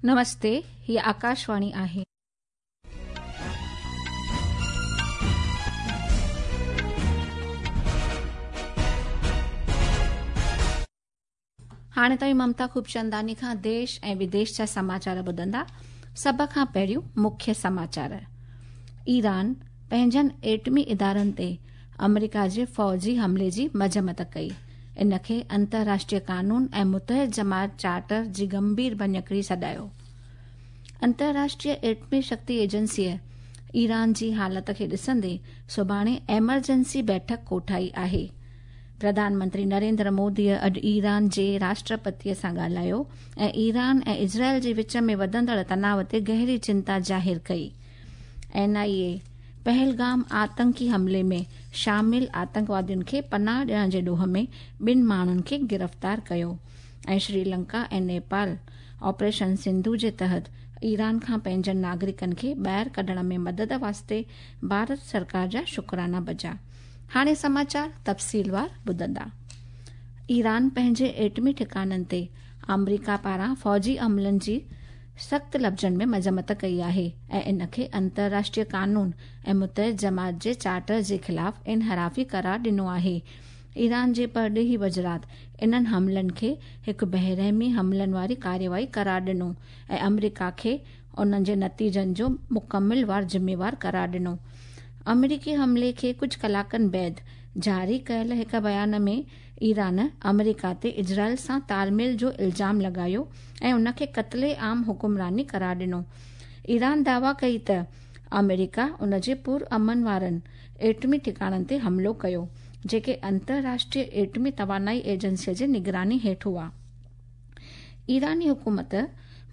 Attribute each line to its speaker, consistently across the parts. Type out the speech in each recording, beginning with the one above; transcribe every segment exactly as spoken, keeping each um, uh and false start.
Speaker 1: नमस्ते, ही आकाशवाणी आहे. हाणे तव्हीं ममता खूबचंदानी खां देश ऐं विदेश जा समाचार ॿुधंदा. सभ खां पहिरियों मुख्य समाचार. ईरान पंहिंजनि एटमी इदारनि ते अमेरिका जे फ़ौजी हमले जी मज़म्मत कई. इन खे अंतर्राष्ट्रीय कानून ऐं मुतहिद जमात चार्टर जी गंभीर भञकड़ी सॾायो. अंतर्राष्ट्रीय एटमी शक्ति एजेंसीअ ईरान जी हालत खे ॾिसंदे सुभाणे एमरजेंसी बैठक कोठाई आहे. प्रधानमंत्री नरेंद्र मोदीअ अॼु ईरान जे राष्ट्रपतीअ सां ॻाल्हायो ऐं ईरान ऐं इज़राइल जे विच में वधंदड़ तनाव ते गहरी चिंता ज़ाहिर कई. एन आई ए पहलगाम आतंकी हमले में शामिल आतंकवादियुनि खे पनाह ॾियण जे ॾोह में ॿिनि माण्हुनि खे गिरफ़्तार कयो. ऐं श्रीलंका ऐं नेपाल ऑपरेशन सिंधु जे तहत ईरान खां पंहिंजनि नागरिकनि खे ॿाहिरि कढण में मदद वास्ते भारत सरकार जा शुक्राना बजा. हाणे समाचार तफ़सीलवार ॿुधंदा. ईरान पंहिंजे एटमी ठिकाणनि ते आमेरिका पारां फ़ौजी हमलनि जी सख़्त लफ़्ज़नि में मज़म्मत कई आहे ऐं इन खे अंतर्राष्ट्रीय कानून ऐं मुतहिद जमात जे चार्टर जे ख़िलाफ़ इनहराफ़ी करार ॾिनो आहे. ईरान जे परॾेही वज़रात इन्हनि हमलनि खे हिकु बेरहमी हमलनि वारी कार्रवाई करार ॾिनो ऐं अमेरिका खे उन्हनि जे नतीजनि जो मुकमिल वार ज़िम्मेवार करार ॾिनो. अमेरिकी हमले खे कुझु कलाकनि बाद जारी कयल हिकु बयान में ईरान अमेरिका ते इज़राइल सां तालमेल जो इल्ज़ाम लॻायो ऐं उनखे क़त्ले आम हुकुमरानी करार ॾिनो. ईरान दावा कई त अमेरिका उन जे पुरअमन वारनि एटमी ठिकाणनि ते हमलो कयो, जेके अंतर्राष्ट्रीय एटमी तवानाई एजेंसीअ जे निगरानी हेठि हुआ. ईरानी हुकूमत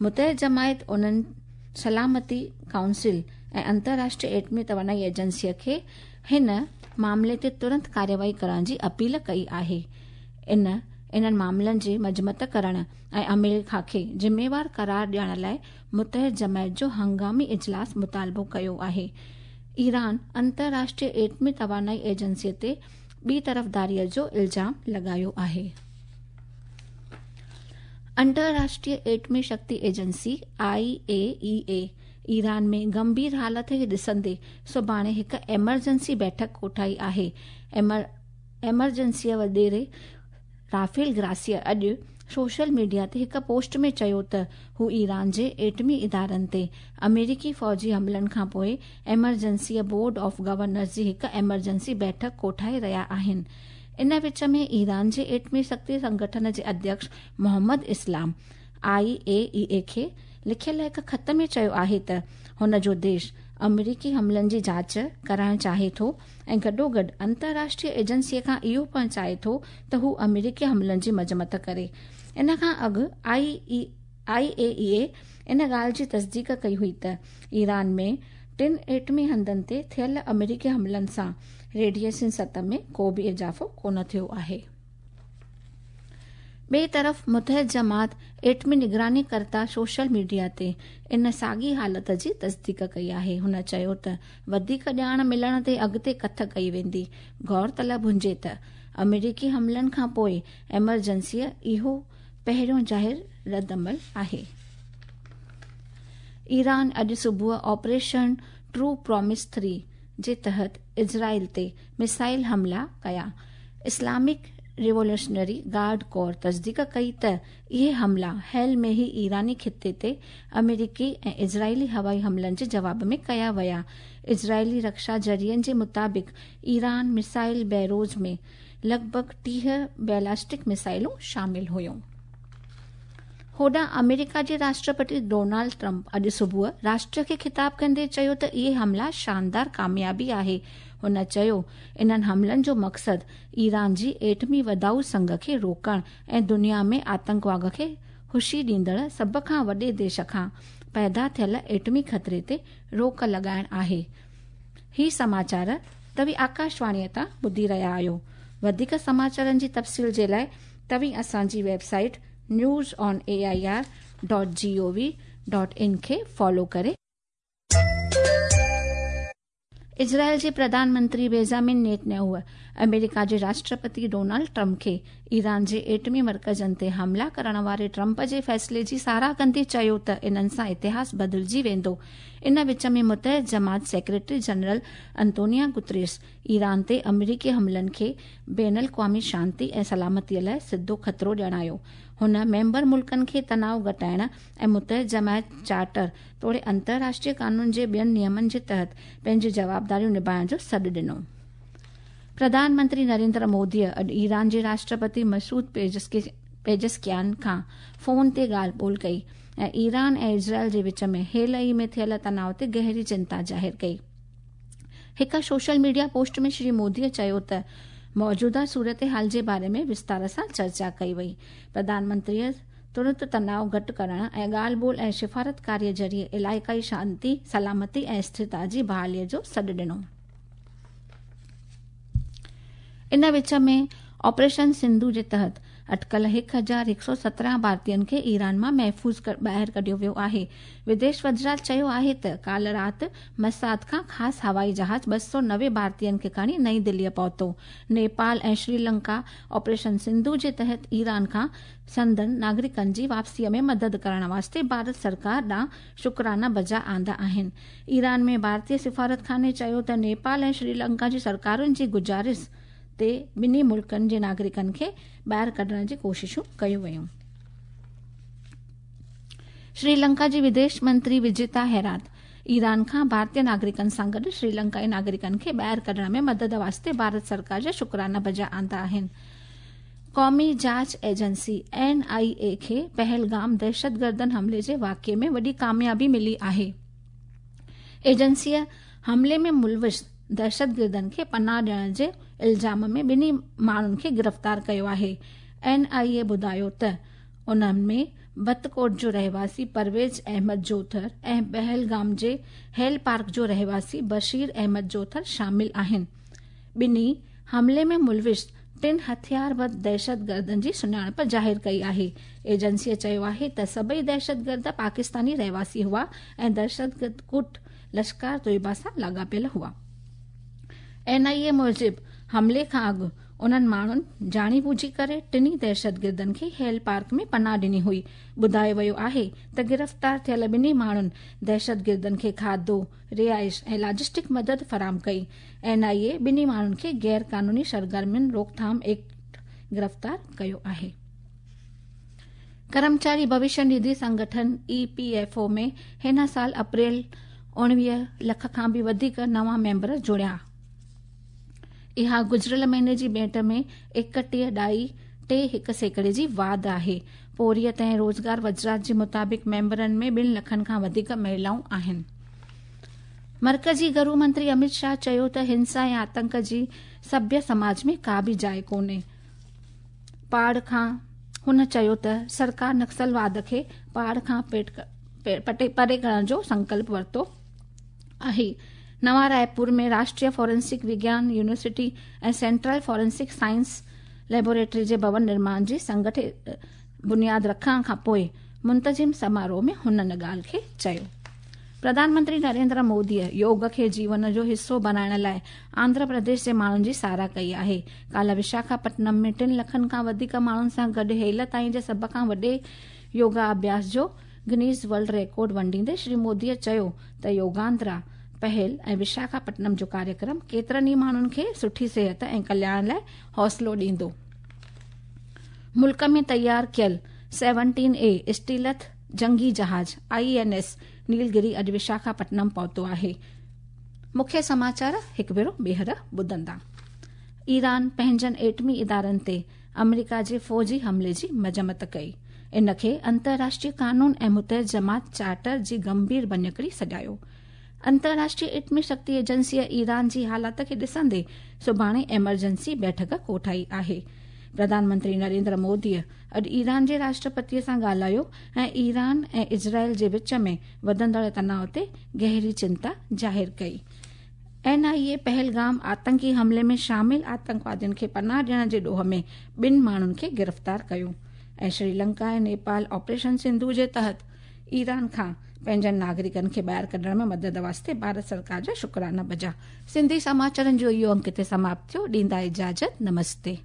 Speaker 1: मुतहिद जमायत उन्हनि सलामती काउंसिल ऐं अंतर्राष्ट्रीय एटमी तवानाई एजेंसीअ खे हिन मामले ते तुरंत कार्रवाई करण जी अपील कई आहे. इन इन्हनि मामलनि जी मज़म्मत करण ऐं अमेरिका खे ज़िम्मेवार करार ॾियण लाइ मुतहिद जमायत जो हंगामी इजलास मुतालबो कयो आहे. ईरान अंतर्राष्ट्रीय एटमी तवानाई एजेंसीअ ते ॿी तरफ़दारीअ जो इल्ज़ाम लॻायो आहे. अंतर्राष्ट्रीय एटमी शक्ति एजेंसी आई ए ई ए ईरान में गंभीर हालत खे ॾिसंदे सुभाणे हिकु एमरजेंसी बैठक कोठाई आहे. एमर एमरजेंसीअ वॾेरे राफेल ग्रासिया अॼु सोशल मीडिया ते हिकु पोस्ट में चयो त हू ईरान जे एटमी इदारनि ते अमेरिकी फ़ौजी हमलनि खां पोइ एमरजेंसीअ बोर्ड ऑफ गवर्नर्स जी हिकु एमरजेंसी बैठक कोठाए रहिया आहिनि. इन विच में ईरान जे एटमी शक्ति संगठन जे अध्यक्ष मोहम्मद इस्लाम आई ए ई ए खे लिखियल हिकु ख़त में चयो आहे त हुन जो देश अमेरिकी हमलनि जी जांच कराइण चाहे थो ऐं गॾोगॾु अंतर्राष्ट्रीय एजेंसीअ खां इहो पिणु चाहे थो त हू अमेरिकी हमलनि जी मज़म्मत करे. इन खां अॻु आई ई आई ए ई ए इन ॻाल्हि जी तस्दीक कई हुई त ईरान में टिनि एटमी हंधनि ते थियल अमेरिकी हमलनि सां रेडिएशन सतह में को बि इज़ाफ़ो कोन थियो आहे. ॿिए तरफ़ मुतहिद जमात एटमी निगरानी करता सोशल मीडिया ते इन साॻी हालत जी तस्दीक कई आहे. हुन चयो त वधीक ॼाण मिलण ते अॻिते कथ कई वेंदी. गौर तलब हुजे त अमेरिकी हमलनि खां पोइ एमरजेंसीअ इहो पहिरियों ज़ाहिर रद्द-अमल आहे. ईरान अॼु सुबुह ऑपरेशन ट्रू प्रॉमिस थ्री जे तहत इज़राइल ते मिसाइल हमला कया. इस्लामिक रिवोल्यूशनरी गार्ड कोर तस्दीक कई त इहे हमला हाल में ही ईरानी ख़िते ते अमेरिकी ऐं इज़राइली हवाई हमलनि जे जवाब में कया विया. इज़राइली रक्षा ज़रियनि जे मुताबिक़ ईरान मिसाइल बैरोज में लॻभॻि टीह बैलिस्टिक मिसाइलूं शामिल हुयूं. होॾां अमेरिका जे राष्ट्रपति डोनाल्ड ट्रंप अॼु सुबुह राष्ट्र खे ख़िताब कंदे चयो त इहे हमला शानदार कामयाबी आहे. हुन चयो इन्हनि हमलनि जो मक़सदु ईरान जी एटमी वधाऊ संघ खे रोकण ऐं दुनिया में आतंकवाद खे ख़ुशी ॾींदड़ सभ खां वॾे देश खां पैदा थियल एटमी ख़तरे ते रोक लॻाइण आहे. ही समाचार तव्हीं आकाशवाणीअ तां ॿुधी रहिया आहियो. वधीक समाचारनि जी तफ़सील जे लाइ तव्हीं असांजी website news on A I R dot G O V dot in खे फॉलो करे. इज़राइल जे प्रधानमंत्री बेंजामिन नेतन्याहू अमेरिका जे राष्ट्रपति डोनाल्ड ट्रंप खे ईरान जे एटमी मर्कज़नि ते हमला करण वारे ट्रंप जे फ़ैसिले जी साराह कंदे चयो त इन्हनि सां इतिहास बदिलजी वेंदो। इन विच में मुतहद जमात secretary general Antonia Guterres Iran ते अमरीकी हमलनि खे बैन अल-अक़वामी शांति ऐं सलामतीअ लाइ सिधो ख़तरो ॼाणायो। हुन मेंबर मुल्कनि खे तनाव घटाइण ऐं मुतहद जमायत चार्टर तोड़े अंतर्राष्ट्रीय कानून जे ॿियनि नियमनि जे तहत पंहिंजी जवाबदारियूं निभाइण जो सॾु ॾिनो। प्रधानमंत्री नरेंद्र मोदीअ अॼु ईरान जे राष्ट्रपति मसूद पेज़ेश्कियान खां फोन ते ॻाल्हि ॿोल कई ऐं ईरान ऐं इज़राइल जे विच में हेल ई में थियल तनाव ते गहरी चिंता ज़ाहिर कई। हिकु सोशल मीडिया पोस्ट में श्री मोदीअ चयो त मौजूदा सूरत हाल जे बारे में विस्तार सां चर्चा कई वई। प्रधानमंत्रीअ तुरंत तनाव घटि करण ऐं ॻाल्हि ॿोल ऐं सिफारतकारीअ ज़रिए इलाइक़ाई शांति, सलामती ऐं स्थिरता जी बहालीअ जो सॾु ॾिनो। इन विच में ऑपरेशन सिंधु जे तहत अटकल हिकु हज़ार हिकु सौ सत्रहं भारतीयनि खे ईरान मां महफ़ूज़ ॿाहिरि कढियो वियो आहे। विदेश वज़ारत चयो आहे त काल्ह राति मसाद खां ख़ासि हवाई जहाज़ ॿ सौ नवे भारतीयनि खे खणी नई दिल्लीअ पहुतो। नेपाल ऐं श्रीलंका ऑपरेशन सिंधु जे तहत ईरान खां संदन नागरिकनि जी वापसीअ में मदद करण वास्ते भारत सरकार ॾांहुं शुक्राना बजा आंदा आहिनि। ईरान में भारतीय सिफारतखाने चयो त नेपाल ऐं श्रीलंका जी सरकारुनि जी गुज़ारिश ते ॿिन्ही मुल्कनि जे नागरिकनि खे ॿाहिरि कढण जी कोशिशूं कयूं वयूं। श्रीलंका जी विदेश मंत्री विजिता हैरात ईरान खां भारतीय नागरिकनि सां गॾु श्रीलंकाई नागरिकनि खे ॿाहिरि कढण में मदद वास्ते भारत सरकार जा शुक्राना बजा आंदा आहिनि। क़ौमी जांच एजेंसी एन आई ए खे पहलगाम दहशतगर्दनि हमले जे वाक़िए में वॾी कामयाबी मिली आहे। एजेंसीअ हमले में मुलविस दहशतगिर्दनि खे पनाह ॾियण जे इल्ज़ाम में ॿिन्ही माण्हुनि खे गिरफ़्तार कयो आहे। एन आई ए ॿुधायो त उन्हनि में बतकोट जो रहवासी परवेज़ अहमद जोथर ऐं पहलगाम जे हेल पार्क जो रहवासी बशीर अहमद जोथर शामिल आहिनि। ॿिन्ही हमले में मुलविस टिनि हथियारबंद दहशतगर्दनि जी सुञाणप ज़ाहिर कई आहे। एजेंसीअ चयो आहे त सभई दहशतगर्द पाकिस्तानी रहवासी हुआ ऐं दहशतगर्द गुट लश्कर तोयबा सां लाॻापियल हुआ। एन आई ए मूजिबि हमले खां अॻु उन्हनि माण्हुनि ॼाणी ॿुझी करे टिन्ही दहशतगिर्दनि खे हेल पार्क में पनाह ॾिनी हुई। ॿुधायो वियो आहे त गिरफ़्तार थियल ॿिन्ही माण्हुनि दहशतगिर्दनि खे खाधो, रिहाइश ऐं लॉजिस्टिक मदद फराहम कई। एन आई ए ॿिन्ही माण्हुनि खे गैर कानूनी सरगर्मियुनि रोकथाम एक्ट गिरफ़्तार कयो आहे। कर्मचारी भविष्य निधि संगठन ई पी एफ ओ में हिन साल अप्रैल उणिवीह लख खां बि वधीक नवां मेंबर जुड़िया। इहा गुज़िरियल महीने जी भेंट में एकटीह ॾाई टे हिकु सैकड़े जी वाध आहे। पोरियत ऐं रोज़गार वज़ारत जे मुताबिक़ मेंबरनि में ॿिनि लखनि खां वधीक महिलाऊं आहिनि। मर्कज़ी गृह मंत्री अमित शाह चयो त हिंसा ऐं आतंक जी सभ्य समाज में का बि जाइ कोन्हे। पाड़ खां हुन चयो त सरकार नक्सलवाद खे पाड़ खां पेट पटे परे करण जो संकल्प वरितो आहे। नवा रायपुर में राष्ट्रीय फॉरेंसिक विज्ञान यूनिवर्सिटी ऐं सेंट्रल फॉरेंसिक साइंस लेबोरेटरी जे भवन निर्माण जी संगठित बुनियाद रखण खां पोइ मुंतज़िम समारोह में हुन इन ॻाल्हि खे चयो। प्रधानमंत्री नरेंद्र मोदीअ योग खे जीवन जो हिसो बणाइण लाइ आंध्र प्रदेश जे माण्हुनि जी साराह कई आहे। काल्ह विशाखापट्टनम में टिनि लखनि खां वधीक माण्हुनि सां गॾु हेल ताईं जे सभ खां वॾे योगा अभ्यास जो गिनीज वर्ल्ड रिकॉर्ड वंडींदे श्री मोदीअ चयो त योगांध्रा पहल ऐं विशाखापट्टनम जो कार्यक्रम केतिरनि ई माण्हुनि खे सुठी सिहत ऐं कल्याण लाइ हौसलो ॾींदो। मुल्क में तयार कयल सेवनटीन ए स्टीलथ जंगी जहाज़ I N S Nilgiri अॼु विशाखापट्टनम पहुतो आहे। मुख्य समाचार हिकु भेरो ॿीहर ॿुधंदा। ईरान पंहिंजनि एटमी इदारनि ते अमरीका जे फ़ौजी हमले जी मज़म्मत कई। इन खे अंतर्राष्ट्रीय कानून ऐं मुतहद जमात चार्टर जी गंभीर भञकड़ी सॾायो। अंतर्राष्ट्रीय एटमी शक्ति एजेंसीअ ईरान जी हालात खे ॾिसंदे सुभाणे एमरजेंसी बैठक कोठाई आहे। प्रधानमंत्री नरेंद्र मोदीअ अॼु ईरान जे राष्ट्रपतीअ सां ॻाल्हायो ऐं ईरान ऐं इज़राइल जे विच में वधंदड़ तनाव ते गहरी चिंता ज़ाहिर कई। एन आई ए पहलगाम आतंकी हमले में शामिल आतंकवादियुनि खे पनाह ॾियण जे ॾोह में ॿिनि माण्हुनि खे गिरफ़्तार कयो ऐं श्रीलंका ऐं नेपाल ऑपरेशन सिंधु जे तहत ईरान खां पंहिंजनि नागरिकनि खे ॿाहिरि कढण में मदद वास्ते भारत सरकार जा शुक्राना बजा। सिंधी समाचारनि जो इहो अंक हिते समाप्त थियो। ॾींदा इजाज़त। नमस्ते।